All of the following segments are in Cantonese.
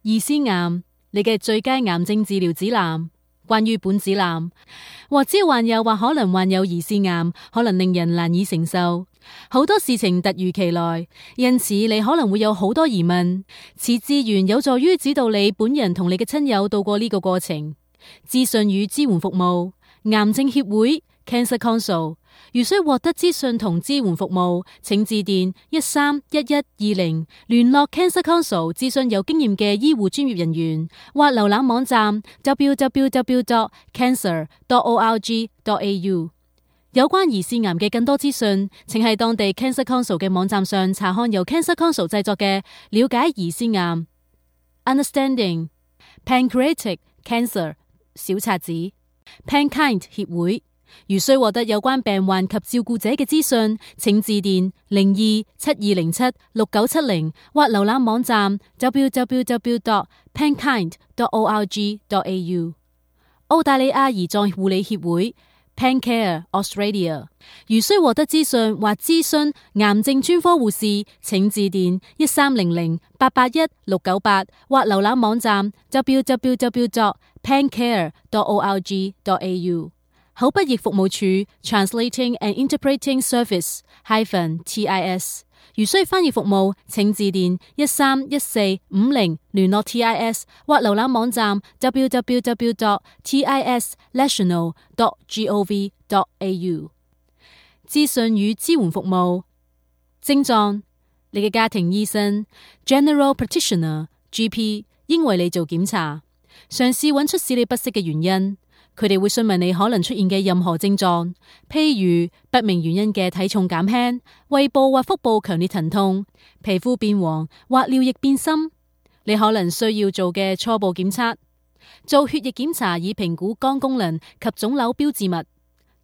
兒先癌，你嘅最佳癌症治療指南。關於本指南，或者患有或可能患有兒先癌，可能令人難以承受。好多事情突如其來，因此你可能會有好多疑問。此資源有助於指導你本人同你嘅親友度過呢個過程。資訊與支援服務，癌症協會 Cancer Council。如需獲得資訊同支援服務，請致電131120聯絡 Cancer Council 諮詢有經驗嘅醫護專業人員，或瀏覽網站 www.cancer.org.au。 有關兒先癌嘅更多資訊，請喺當地 Cancer Council 嘅網站上查看由 Cancer Council 製作嘅了解兒先癌 Understanding Pancreatic Cancer 小冊子。 Pankind 協會。如需獲得有關病患及照顧者嘅資訊，請致電0272076970或瀏覽網站 www.pankind.org.au。 澳大利亞胰臟護理協會 Pancare Australia。 如需獲得資訊或諮詢癌症專科護士，請致電1300881698或瀏覽網站 www.pancare.org.au。口筆譯服務處 Translating and Interpreting Service-TIS。 如需翻譯服務，請致電131450聯絡 TIS 或瀏覽網站 www.tisnational.gov.au。 資訊與支援服務。症狀，你嘅家庭醫生 General Practitioner GP 應為你做檢查，嘗試揾出使你不適嘅原因。佢哋會詢問你可能出現嘅任何症狀，譬如不明原因嘅體重減輕、胃部或腹部強烈疼痛、皮膚變黃或尿液變深。你可能需要做嘅初步檢測，做血液檢查以評估肝功能及腫瘤標誌物。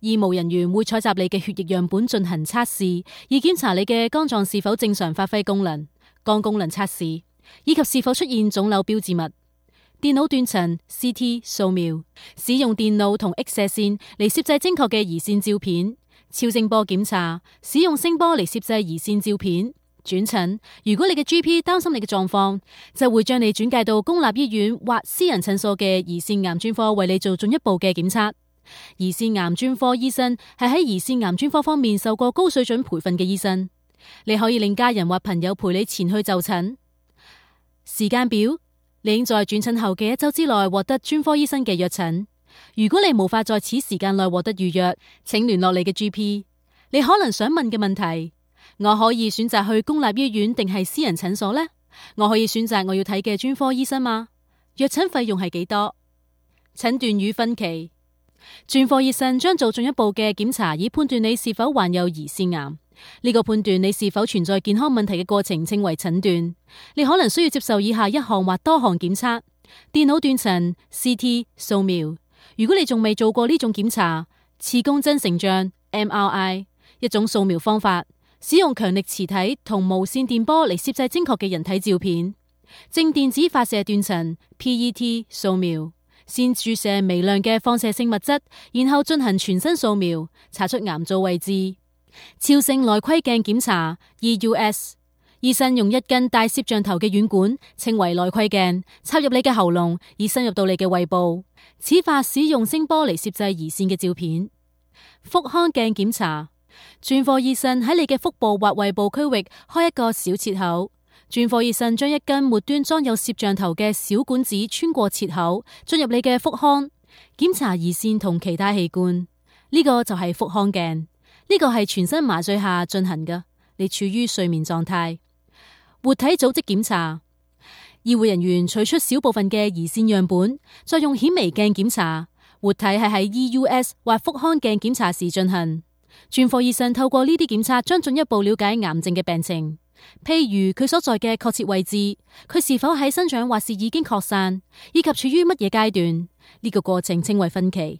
醫務人員會採集你嘅血液樣本進行測試，以檢查你嘅肝臟是否正常發揮功能、肝功能測試，以及是否出現腫瘤標誌物。電腦斷層 CT 掃描，使用電腦同 X 射線嚟攝製精確嘅胰腺照片。超聲波檢查，使用聲波嚟攝製胰腺照片。轉診，如果你嘅 GP 擔心你嘅狀況，就會將你轉介到公立醫院或私人診所嘅胰腺癌專科為你做進一步嘅檢測。胰腺癌專科醫生係喺胰腺癌專科方面受過高水準培訓嘅醫生。你可以令家人或朋友陪你前去就診。時間表，你應在轉診後嘅1週之內獲得專科醫生嘅約診。如果你無法在此時間內獲得預約，請聯絡你嘅 GP。 你可能想問嘅問題：我可以選擇去公立醫院定係私人診所呢？我可以選擇我要睇嘅專科醫生嗎？約診費用係幾多？診斷與分期，專科醫生將做進一步嘅檢查，以判斷你是否患有胰腺癌。呢個判斷你是否存在健康問題嘅過程稱為診斷。你可能需要接受以下一項或多項檢測：電腦斷層 CT 掃描。如果你仲未做過呢種檢查，磁共振成像 MRI 一種掃描方法，使用強力磁體同無線電波嚟攝製精確嘅人體照片。正電子發射斷層 PET 掃描，先注射微量嘅放射性物質，然後進行全身掃描，查出癌灶位置。超聲內窺鏡檢查 EUS， 醫生用一根帶攝像頭嘅軟管，稱為內窺鏡，插入你嘅喉嚨，以深入到你嘅胃部。此法使用聲波嚟攝製胰腺嘅照片。腹腔鏡檢查，專科醫生喺你嘅腹部或胃部區域開一個小切口，專科醫生將一根末端裝有攝像頭嘅小管子穿過切口，進入你嘅腹腔，檢查胰腺同其他器官。呢個就係腹腔鏡。呢個係全身麻醉下進行嘅，你處於睡眠狀態。活體組織檢查，醫護人員取出小部分嘅胰腺樣本，再用顯微鏡檢查。活體係喺 EUS 或腹腔鏡檢查時進行。專科醫生透過呢啲檢測，將進一步了解癌症嘅病情，譬如佢所在嘅確切位置，佢是否喺生長或是已經擴散，以及處於乜嘢階段。呢個過程稱為分期。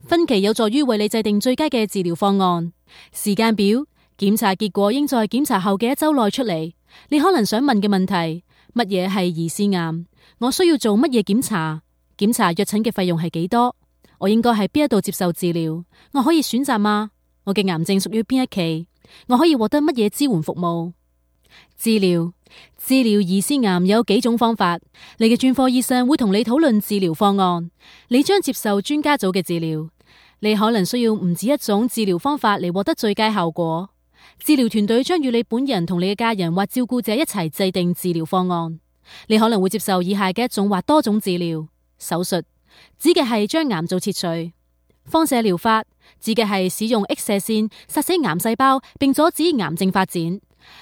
分期有助於為你制定最佳嘅治療方案。時間表，檢查結果應在檢查後嘅1週內出嚟。你可能想問嘅問題：乜嘢係胰腺癌？我需要做乜嘢檢查？檢查約診嘅費用係幾多？我應該喺邊一度接受治療？我可以選擇嗎？我嘅癌症屬於邊一期？我可以獲得乜嘢支援服務？治療兒腺癌有幾種方法，你嘅專科醫生會同你討論治療方案，你將接受專家組嘅治療。你可能需要唔止一種治療方法嚟獲得最佳效果。治療團隊將與你本人同你嘅家人或照顧者一齊制定治療方案。你可能會接受以下嘅一種或多種治療：手術，指嘅係將癌灶切除；放射療法，指嘅係使用 X 射線殺死癌細胞並阻止癌症發展。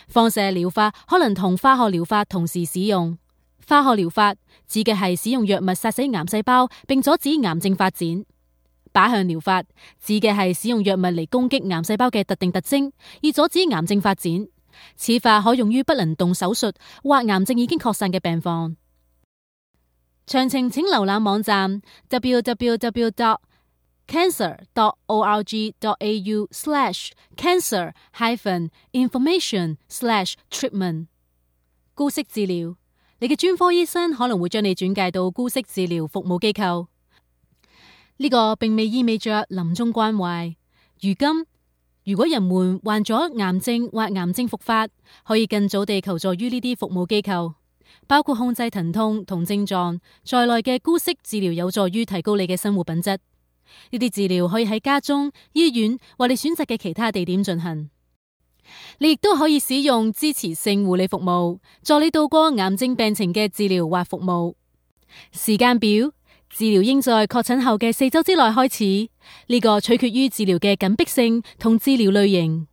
放射療法可能同化學療法同時使用。化學療法指嘅係使用藥物殺死癌細胞並阻止癌症發展。靶向療法指嘅係使用藥物嚟攻擊癌細胞嘅特定特徵，以阻止癌症發展。此法可用於不能動手術或癌症已經擴散嘅病況。詳情請瀏覽網站 www.cancer.org.au/cancer-information/treatment。姑息治療，你嘅專科醫生可能會將你轉介到姑息治療服務機構。呢個並未意味着臨終關懷。如今，如果人們患咗癌症或癌症復發，可以更早地求助於呢啲服務機構，包括控制疼痛同症狀在內嘅姑息治療，有助於提高你嘅生活品質。呢啲治療可以喺家中、醫院或你選擇嘅其他地點進行。你亦都可以使用支持性護理服務，助你度過癌症病情嘅治療或服務。時間表。治療應在確診後嘅4週之內開始，呢個取決於治療嘅緊迫性同治療類型。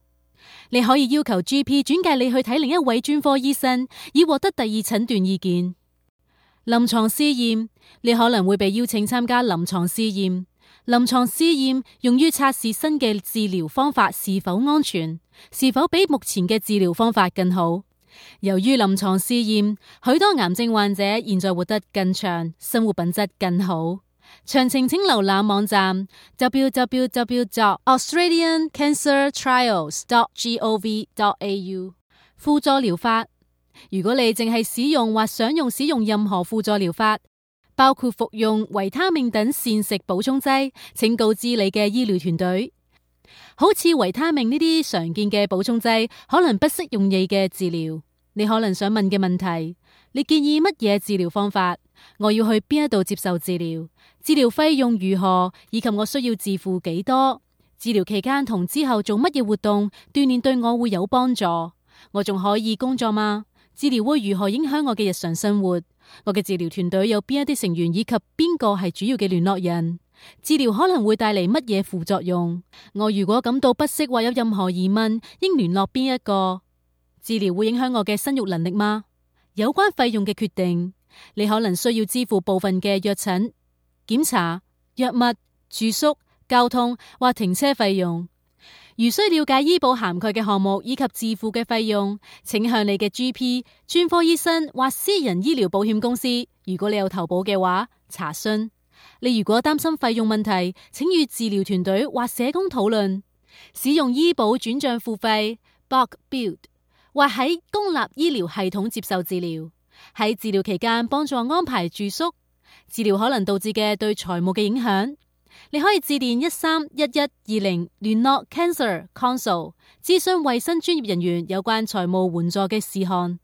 你可以要求 GP 轉介你去睇另一位專科醫生，以獲得第二診斷意見。臨床試驗，你可能會被邀請參加臨床試驗。臨床試驗用於測試新嘅治療方法是否安全，是否比目前嘅治療方法更好。由於臨床試驗，許多癌症患者現在活得更長，生活品質更好。詳情請瀏覽網站 www.australiancancertrials.gov.au。輔助療法，如果你淨係使用或想用使用任何輔助療法，包括服用維他命等膳食補充劑，請告知你嘅醫療團隊。好似維他命呢啲常見嘅補充劑可能不適用你嘅治療。你可能想問嘅問題：你建議乜嘢治療方法？我要去邊一度接受治療？治療費用如何？以及我需要自付幾多？治療期間同之後做乜嘢活動鍛煉對我會有幫助？我仲可以工作嗎？治療會如何影響我嘅日常生活？我嘅治療團隊有邊一啲成員，以及邊個係主要嘅聯絡人？治療可能會帶嚟乜嘢副作用？我如果感到不適或有任何疑問，應聯絡邊一個？治療會影響我嘅生育能力嗎？有關費用嘅決定，你可能需要支付部分嘅藥診、檢查、藥物、住宿、交通或停車費用。如需了解醫保涵蓋嘅項目以及自付嘅費用，請向你嘅 GP、專科醫生或私人醫療保險公司，如果你有投保嘅話，查詢。你如果擔心費用問題，請與治療團隊或社工討論。使用醫保轉賬付費 （bulk bill） 或喺公立醫療系統接受治療。喺治療期間幫助安排住宿。治療可能導致嘅對財務嘅影響，你可以致電131120聯絡 Cancer Consult 諮詢衛生專業人員有關財務援助嘅事項。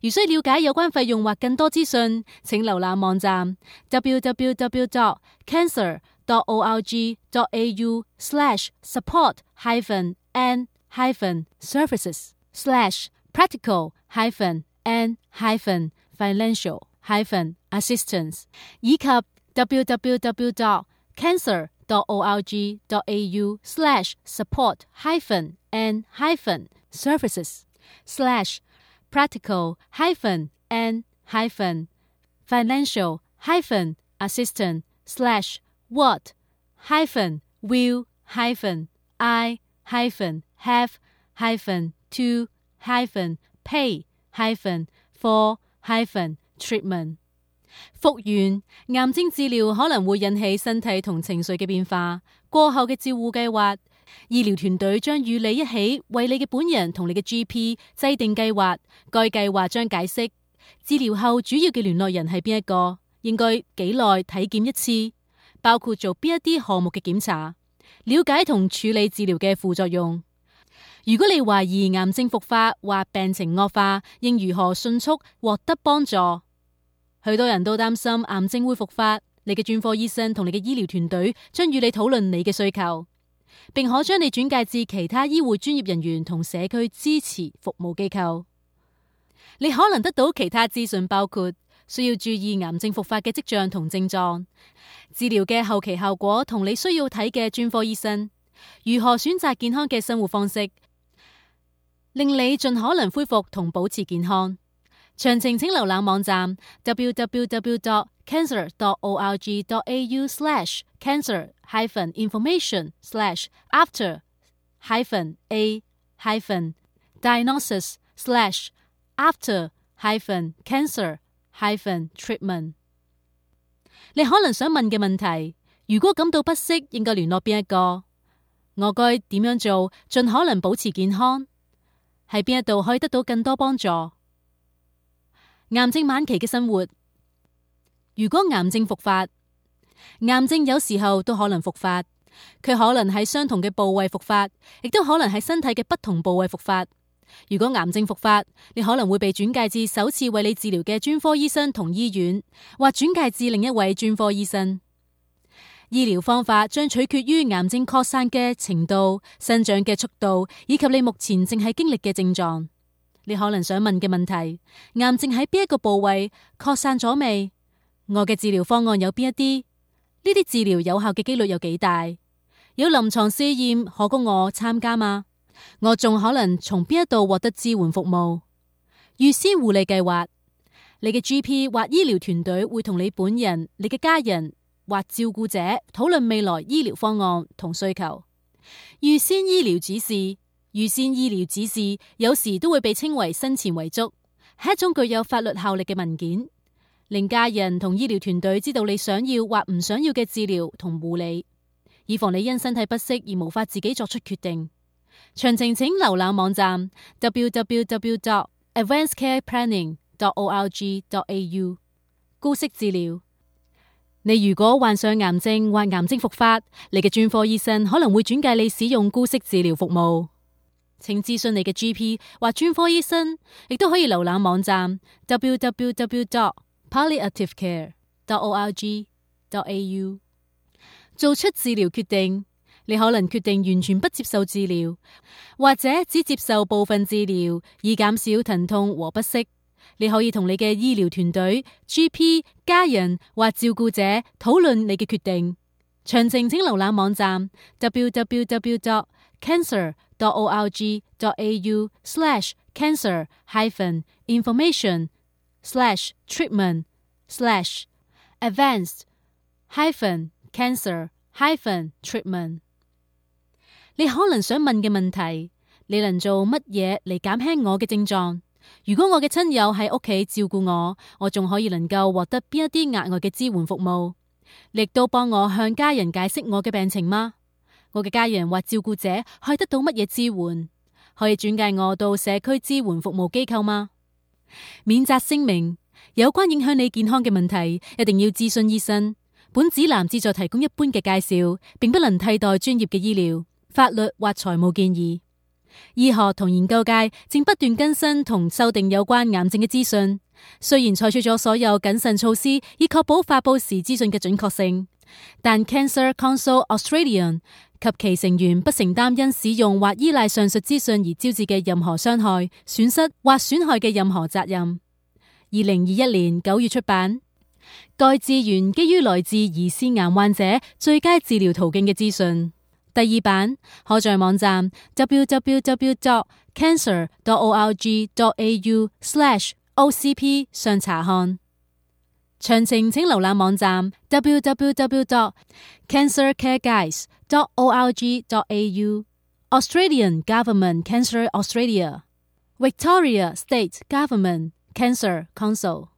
如需了解有關費用或更多資訊，請瀏覽網站 www.cancer.org.au/support-and-financial-assistance 以及 www.cancer.org.au/what-will-have-to-pay-for-treatment。復原癌症治療可能會引起身體同情緒嘅變化。過後嘅照護計劃，醫療團隊將與你一起為你嘅本人同你嘅 GP 制定計劃。該計劃將解釋治療後主要嘅聯絡人係邊一個，應該幾耐體檢一次，包括做邊一啲項目嘅檢查，了解同處理治療嘅副作用。如果你懷疑癌症復發或病情惡化，應如何迅速獲得幫助？許多人都擔心癌症會復發，你嘅專科醫生同你嘅醫療團隊將與你討論你嘅需求，並可將你轉介至其他醫護專業人員同社區支持服務機構。你可能得到其他資訊，包括需要注意癌症復發嘅跡象同症狀、治療嘅後期效果同你需要睇嘅專科醫生、如何選擇健康嘅生活方式，令你盡可能恢復同保持健康。詳情請瀏覽網站 www.cancer.org.au/cancer-after-diagnosis/after-cancer-treatment。你可能想問嘅問題：如果感到不適，應該聯絡邊一個？我該點樣做，盡可能保持健康？喺邊一度可以得到更多幫助？癌症晚期嘅生活。如果癌症復發，癌症有時候都可能復發，佢可能喺相同嘅部位復發，亦都可能喺身體嘅不同部位復發。如果癌症復發，你可能會被轉介至首次為你治療嘅專科醫生同醫院，或轉介至另一位專科醫生。醫療方法將取決於癌症擴散嘅程度、生長嘅速度，以及你目前正係經歷嘅症狀。你可能想問嘅問題：癌症喺邊一個部位擴散咗未？我嘅治療方案有邊一啲？呢啲治療有效嘅幾率有幾大？有臨床試驗可供我參加嗎？我仲可能從邊一度獲得支援服務？預先護理計劃。你嘅 GP 或醫療團隊會同你本人、你嘅家人或照顧者討論未來醫療方案同需求。預先醫療指示。預先醫療指示有時都會被稱為生前遺囑，係一種具有法律效力嘅文件，令家人同醫療團隊知道你想要或唔想要嘅治療同護理，以防你因身體不適而無法自己作出決定。詳情請瀏覽網站 www.advancedcareplanning.org.au。 姑息治療。你如果患上癌症或癌症復發，你嘅專科醫生可能會轉介你使用姑息治療服務。請諮詢你嘅 GP 或專科醫生，亦都可以瀏覽網站 www.palliativecare.org.au。 做出治療決定。你可能決定完全不接受治療，或者只接受部分治療，以減少疼痛和不適。你可以同你嘅醫療團隊、GP、家人或照顧者討論你嘅決定。詳情請瀏覽網站 www.cancer.org.au/cancer-information/treatment/advanced-cancer-treatment。你可能想問嘅問題：你能做乜嘢嚟減輕我嘅症狀？如果我嘅親友喺屋企照顧我，我仲可以能夠獲得邊一啲額外嘅支援服務？你亦都幫我向家人解釋我嘅病情嗎？我嘅家人或照顧者可以得到乜嘢支援？可以轉介我到社區支援服務機構嗎？免責聲明：有關影響你健康嘅問題，一定要諮詢醫生。本指南旨在提供一般嘅介紹，並不能替代專業嘅醫療、法律或財務建議。醫學同研究界正不斷更新同修訂有關癌症嘅資訊，雖然採取咗所有謹慎措施以確保發佈時資訊嘅準確性，但 Cancer Council Australia 及其成員不承擔因使用或依賴上述資訊而招致嘅任何傷害、損失或損害嘅任何責任。2021年9月出版。該資源基於來自兒腺癌患者最佳治療途徑嘅資訊。第二版可在網站 www.cancer.org.au/OCP 上查看。詳情請瀏覽網站 www.cancercareguides.org.au Australian Government Cancer Australia Victoria State Government Cancer Council